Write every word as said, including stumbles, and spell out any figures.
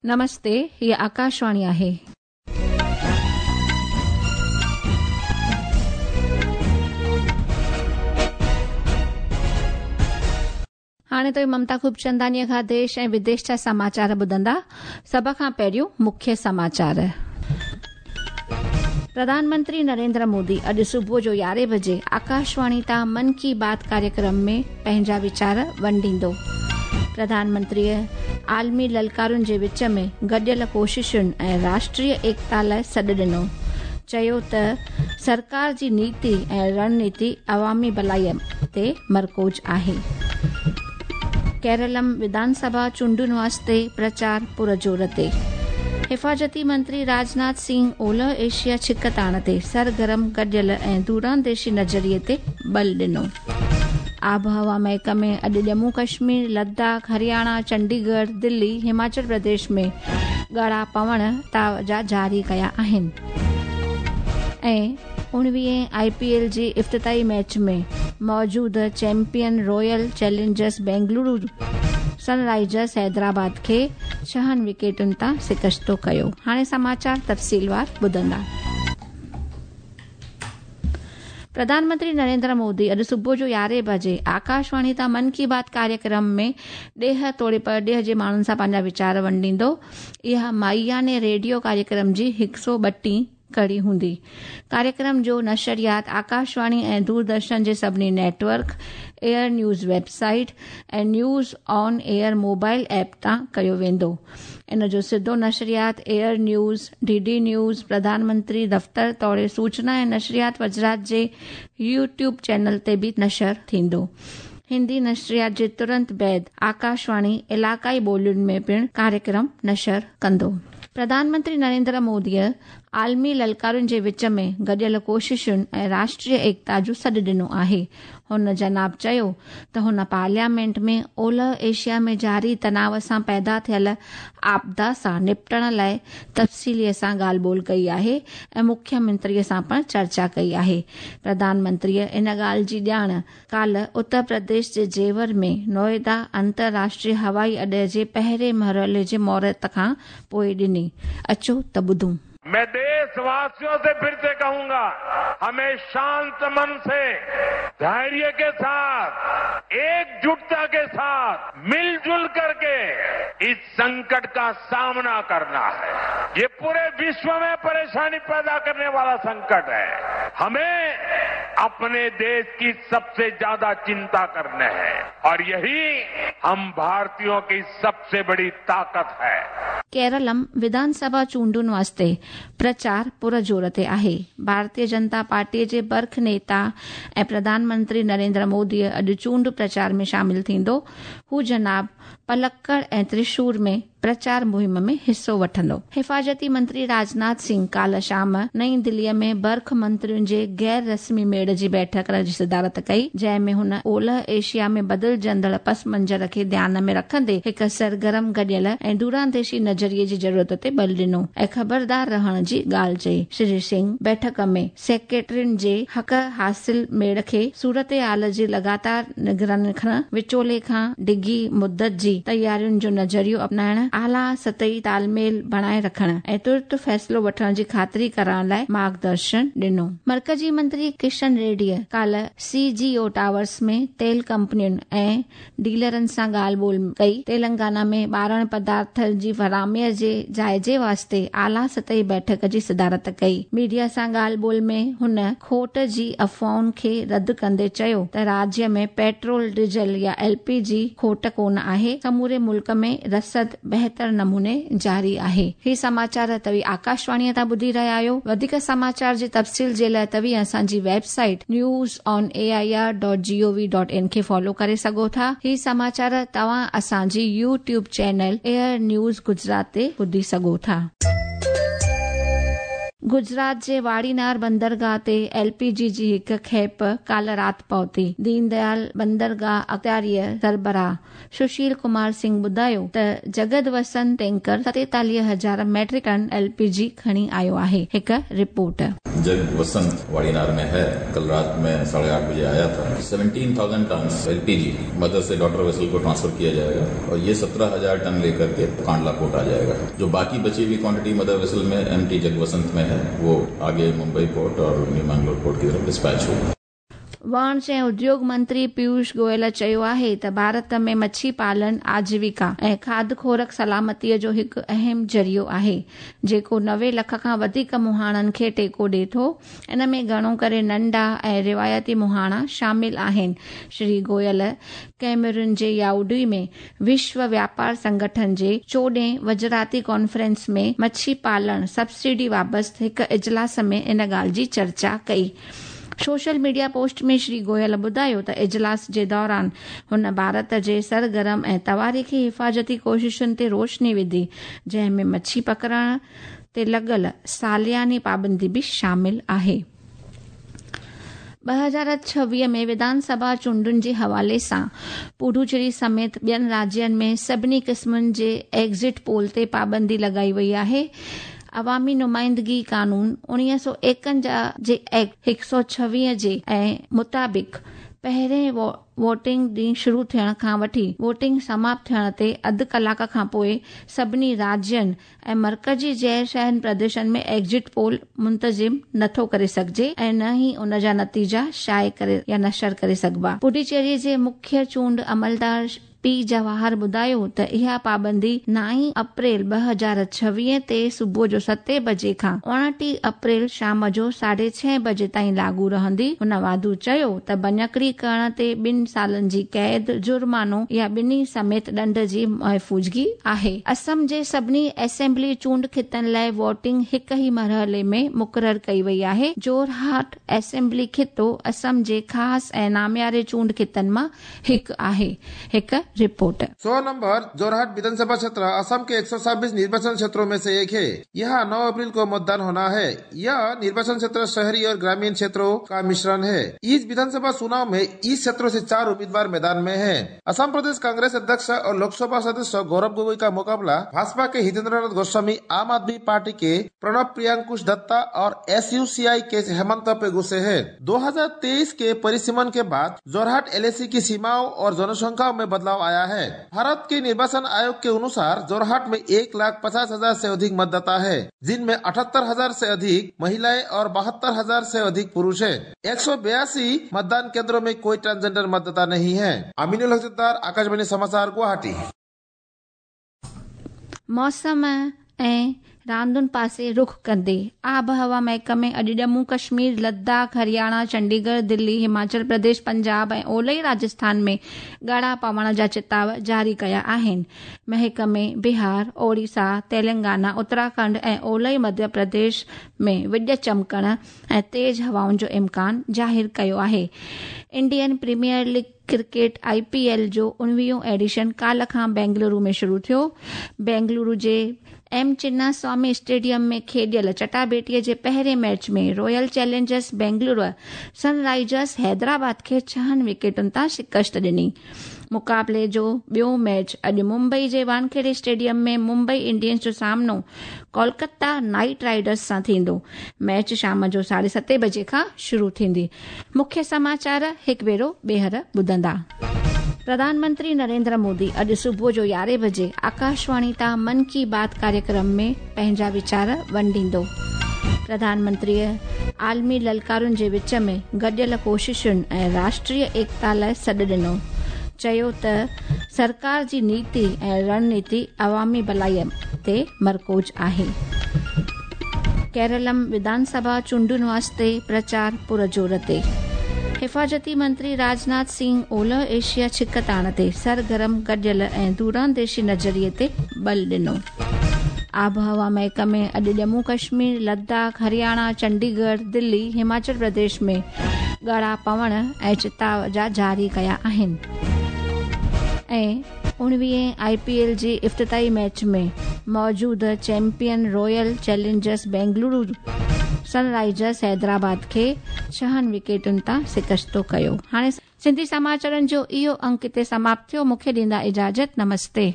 नमस्ते, हीअ आकाशवाणी आहे। हाणे त ममता खूबचंदानीअ खां देश ऐं विदेश जा समाचार ॿुधंदा। सभ खां पहिरियों मुख्य समाचार। प्रधानमंत्री नरेंद्र मोदी अॼु सुबुह जो यारहें बजे आकाशवाणी तां मन की बात कार्यक्रम में पंहिंजा वीचार वंडींदो। प्रधानमंत्रीअ आलमी ललकारुनि जे विच में गॾियल कोशिशुनि ऐं राष्ट्रीय एकता लाइ सॾु ॾिनो। चयो त सरकार जी नीति ऐं रणनीति अवामी भलाईअ ते मरकूज़ आहे। केरलम विधानसभा चूंडुनि वास्ते प्रचार पुरजोर ते। हिफाज़ती मंत्री राजनाथ सिंह ओलह एशिया छिकताण ते सरगर्म गॾियल ऐं दूरांदेशी नज़रिए ते बल ॾिनो। आबहवा महकमे अॼु जम्मू कश्मीर, लद्दाख, हरियाणा, चंडीगढ़, दिल्ली, हिमाचल प्रदेश में ॻाढ़ा पवण ताव जा जारी कया आहिनि। ऐं उणिवीहें I P L G इफ़्तिताई मैच में मौजूदा champion Royal Challengers Bengaluru Sunrisers Hyderabad खे छहनि विकेटुनि तां शिकस्तो कयो। हाणे समाचार तफ़सीलवार ॿुधंदा। प्रधानमंत्री नरेंद्र मोदी अॼु सुबुह जो यारहें बजे आकाशवाणी तां मन की बात कार्यक्रम में ॾेह तोड़े परॾेह जे माण्हुनि सां पंहिंजा वीचार वंडींदो। इहा माइयाने रेडियो कार्यक्रम जी हिकु सौ ॿटीह कड़ी हूंदी। कार्यक्रम जो नशरियात आकाशवाणी ऐं दूरदर्शन जे सभिनी नेटवर्क, एयर न्यूज़ वेबसाइट ऐं news on air mobile app तां कयो वेंदो। इन जो सिधो नशरियात air news, D D news, प्रधानमंत्री दफ़्तर तोड़े सूचना ऐं नशरियात वज़ारत जे यूट्यूब चैनल ते बि नशर थींदो। हिंदी नशरियात जे तुरंत बाद आकाशवाणी इलाक़ाई ॿोलियुनि में पिणु कार्यक्रम नशर कंदो। प्रधानमंत्री नरेंद्र मोदीअ आलमी ललकारुनि जे विच में गॾियल कोशिशुनि ऐं राष्ट्रीय एकता जो सॾु ॾिनो आहे। हुन जनाब चयो त हुन पार्लियामेंट में ओलह एशिया में जारी तनाव सां पैदा थियल आपदा सां निपटण लाइ तफ़सीलीअ सां ॻाल्हि ॿोल कई आहे ऐं मुख्यमंत्रीअ सां पिणु चर्चा कई आहे। प्रधानमंत्रीअ इन ॻाल्हि जी ॼाण काल्ह उत्तर प्रदेश जे जेवर में नोएडा अंतर्राष्ट्रीय हवाई अॾे जे पहिरें मरहले जे मुहूर्त खां पोइ ॾिनी। अचो त ॿुधूं। मैं देशवासियों से फिर से कहूंगा, हमें शांत मन से, धैर्य के साथ, एकजुटता के साथ, मिलजुल करके इस संकट का सामना करना है। ये पूरे विश्व में परेशानी पैदा करने वाला संकट है। हमें अपने देश की सबसे ज्यादा चिंता करने है और यही हम भारतीयों की सबसे बड़ी ताकत है। केरलम विधानसभा चूंडुनि वास्ते प्रचार पुरजोर ते आहे। भारतीय जनता पार्टीअ जे बर्ख नेता ऐं प्रधानमंत्री नरेंद्र मोदीअ अॼु चूंड प्रचार में शामिल थींदो। हू जनाब पलक्कड़ ऐं त्रिशूर में प्रचार मुहिम में हिसो वठंदो। हिफाज़ती मंत्री राजनाथ सिंह काल्ह शाम नई दिल्लीअ में बर्ख मंत्रियुनि जे गैर रस्मी मेड़ जी बैठक जी सदारत कई, जंहिं में हुन ओलह एशिया में बदिलजंदड़ पस मंज़र खे ध्यान में रखंदे हिकु सरगर्म गॾियल ऐं दूरांदेशी नज़रिए जी ज़रूरत ते बल ॾिनो ऐं ख़बरदार रहण जी ॻाल्हि चई। श्री सिंह बैठक में सेक्रेटरियुनि जे हक़ हासिल मेड़ खे सूरत हाल जी लगातार निगरानी रखण, विचोले खां डिघी मुदत जी तयारियुनि जो नज़रियो अपनाइण, आला सतही तालमेल बणाए रखण ऐं तुर्त फ़ैसिलो वठण जी ख़ातिरी करण लाइ मार्गदर्शन ॾिनो। मर्कज़ी मंत्री किशन रेड्डीअ काल्ह सी जी ओ टावर्स में तेल कंपनियुनि ऐं डीलरनि सां ॻाल्हि ॿोल कई। तेलंगाना में ॿारण पदार्थनि जी फराहमीअ जे जाइज़े वास्ते आला सतही बैठक जी सदारत कई। मीडिया सां ॻाल्हि ॿोल में हुन खोट जी अफ़वाहुनि खे रद्द कंदे चयो त राज्य में पेट्रोल, डीजल या एल पी जी खोट कोन आहे, समूरे मुल्क में रसद बहितर नमूने जारी आहे। ही समाचार तव्हीं आकाशवाणीअ तां ॿुधी रहिया आहियो। वधीक समाचार जे तफ़सील जे लाइ तव्हीं असांजी website news on A I R dot G O V dot in खे फॉलो करे सघो था। ही समाचार तव्हां असांजी YouTube channel air news Gujarat ते ॿुधी सघो था। गुजरात जे वाड़ीनार बंदरगाह ते एल पी जी जी हिकु खेप काल्ह राति पहुती। दीनदयाल बंदरगाह अख़्तियारीअ सरबराह सुशील कुमार सिंह ॿुधायो त जगत वसंत टैंकर सतेतालीह हज़ार metric ton L P G खणी आयो आहे। हिकु रिपोर्ट। जग वसंत वाड़ीनार में है। कल रात में साढ़े आठ बजे आया था। सत्रह हज़ार टन एलपीजी मदर से डॉटर वेसल को ट्रांसफर किया जाएगा और ये सत्रह हज़ार टन लेकर के कांडला पोर्ट आ जाएगा। जो बाकी बची हुई क्वांटिटी मदर वेसल में एमटी जग वसंत में है वो आगे मुंबई पोर्ट और न्यू मैंगलोर पोर्ट की तरफ डिस्पैच होगा। वाणिज्य ऐं उद्योग मंत्री पीयूष गोयल चयो आहे त भारत में मच्छी पालन आजीविका ऐं खाद खोराक सलामतीअ जो हिकु अहम ज़रियो आहे, जेको नवे लख खां वधीक मुहाणनि खे टेको ॾिए थो। इन में घणो करे नंढा ऐं रिवायती मुहाणा शामिल आहिनि। श्री गोयल कैमरून जे याउडी में विश्व व्यापार संगठन जे चोॾहें वज़राती कॉन्फ्रेंस में मच्छी पालन सब्सिडी बाबति हिकु इजलास में इन ॻाल्हि जी चर्चा कई। सोशल मीडिया पोस्ट में श्री गोयल ॿुधायो त इजलास जे दौरान हुन भारत जे सरगर्म ऐं तवारीख़ी हिफाज़ती कोशिशुनि ते रोशनी विधी, जंहिं में मच्छी पकड़ण ते लॻल सालियानी पाबंदी बि शामिल आहे। ॿ हज़ार छवीह में विधानसभा चूंडुनि जे हवाले सां पुडुचेरी समेत ॿियनि राज्यनि में सभिनी क़िस्मनि जे एग्ज़िट पोल ते पाबंदी लॻाई वई आहे। अवामी नुमाइंदगी कानून उणिवीह सौ एकंजाह जे एक्ट हिकु सौ छवीह जे ऐं मुताबिक़ पहिरें वोटिंग ॾींहुं शुरू थियण खां वठी वोटिंग समाप्त थियण ते अधु कलाक खां पोइ सभिनी राज्यनि ऐं मर्कज़ी ग़ैर शहरी प्रदेशनि में एग्ज़िट पोल मुंतज़िम नथो करे सघिजे ऐं न ई उन जा नतीजा शाये करे या नशर करे सघिबा। पुडुचेरी जे मुख्य चूंड अमलदार पी जवाहर ॿुधायो त इहा पाबंदी नाई अप्रैल ॿ हज़ार छवीह ते सुबुह जो सते बजे खां उणिटीह अप्रैल शाम जो साढे छह बजे ताईं लागू रहंदी। हुन वाधू चयो त भञकड़ी करण ते ॿिनि सालनि जी क़ैद, जुर्मानो या ॿिन्ही समेत ॾंड जी महफ़ूज़गी आहे। असम जे सभिनी असेंबली चूंड खितनि लाइ वोटिंग हिकु ई मरहले में मुक़ररु कई वई आहे। जोरहाट असेंबली खितो असम जे ख़ासि ऐं नामियारे चूंड खितनि मां हिकु आहे। हिकु रिपोर्ट। सौ नंबर जोरहाट विधानसभा क्षेत्र असम के एक सौ छब्बीस निर्वाचन क्षेत्रों में से एक है। यहाँ नौ अप्रैल को मतदान होना है। यह निर्वाचन क्षेत्र शहरी और ग्रामीण क्षेत्रों का मिश्रण है। इस विधानसभा चुनाव में इस क्षेत्रों से चार उम्मीदवार मैदान में हैं। असम प्रदेश कांग्रेस अध्यक्ष और लोकसभा सदस्य गौरव गोगोई का मुकाबला भाजपा के हितेंद्र नाथ गोस्वामी, आम आदमी पार्टी के प्रणब प्रियांकुश दत्ता और एस यू सी आई के हेमंत पेगु से है। दो हजार तेईस के परिसीमन के बाद जोरहाट एल ए सी की सीमाओं और जनसंख्या में बदलाव आया है। भारत के निर्वाचन आयोग के अनुसार जोरहाट में एक लाख पचास हजार से अधिक मतदाता है, जिनमें अठहत्तर हजार से अधिक महिलाएं और बहत्तर हजार से अधिक पुरुष हैं। एक सौ बयासी मतदान केंद्रों में कोई ट्रांसजेंडर मतदाता नहीं है। अमीनुल हक, आकाशवाणी समाचार, गुवाहाटी। मौसम ऐं रांदुनि पासे रुख कंदे आबहवा महकमे अॼु जम्मू कश्मीर, लद्दाख, हरियाणा, चंडीगढ़, दिल्ली, हिमाचल प्रदेश, पंजाब ऐं ओलई राजस्थान में ॻाढ़ा पवण जा चिताव जारी कया आहिनि। महकमे बिहार, ओडिशा, तेलंगाना, उत्तराखंड ऐं ओलई मध्य प्रदेश में विॼ चमकण ऐं तेज़ हवाउनि जो इम्कान ज़ाहिर कयो आहे। Indian Premier League cricket I P L जो उणिवीहों एडिशन काल्ह खां बेंगलुरु में शुरू थियो। बेंगलुरु जे एम चिन्नास्वामी स्टेडियम में खेॾियल चटाबेटीअ जे पहिरें मैच में Royal Challengers Bengaluru Sunrisers Hyderabad खे छहनि विकेटुनि तां शिकस्त ॾिनी। मुक़ाबले जो ॿियो मैच अॼु मुंबई जे वानखेड़े स्टेडियम में मुंबई इंडियंस जो सामनो कोलकाता नाइट राइडर्स सां थींदो। मैच शाम जो साढे सते बजे खां शुरू थींदी। मुख्य समाचार हिकु भेरो ॿीहर ॿुधंदा। प्रधानमंत्री नरेंद्र मोदी अॼु सुबुह जो यारहें बजे आकाशवाणी तां मन की बात कार्यक्रम में पंहिंजा वीचार वंडींदो। प्रधानमंत्रीअ आलमी ललकारुनि जे विच में गॾियल कोशिशुनि ऐं राष्ट्रीय एकता लाइ सॾु ॾिनो। चयो त सरकार जी नीति ऐं रणनीति अवामी भलाईअ ते मरकूज़ आहे। केरलम विधानसभा चूंडुनि वास्ते प्रचार पुरज़ोर ते। हिफाज़ती मंत्री राजनाथ सिंह ओलह एशिया छिकताण ते सरगर्म गॾियल ऐं दूरांदेशी नज़रिए ते बल ॾिनो। आबहवा महकमे अॼु जम्मू कश्मीर, लद्दाख, हरियाणा, चंडीगढ़, दिल्ली, हिमाचल प्रदेश में ॻाढ़ा पवण ऐं चिताव जा जारी कया आहिनि। ऐं उणिवीहें I P L जे इफ्तिताई मैच में मौजूदा champion Royal Challengers Bengaluru Sunrisers Hyderabad खे छहनि विकेटुनि तां शिकस्तो कयो। हाणे सिंधी समाचारनि जो इहो अंक हिते समाप्त थियो। मूंखे ॾींदा इजाज़त। नमस्ते।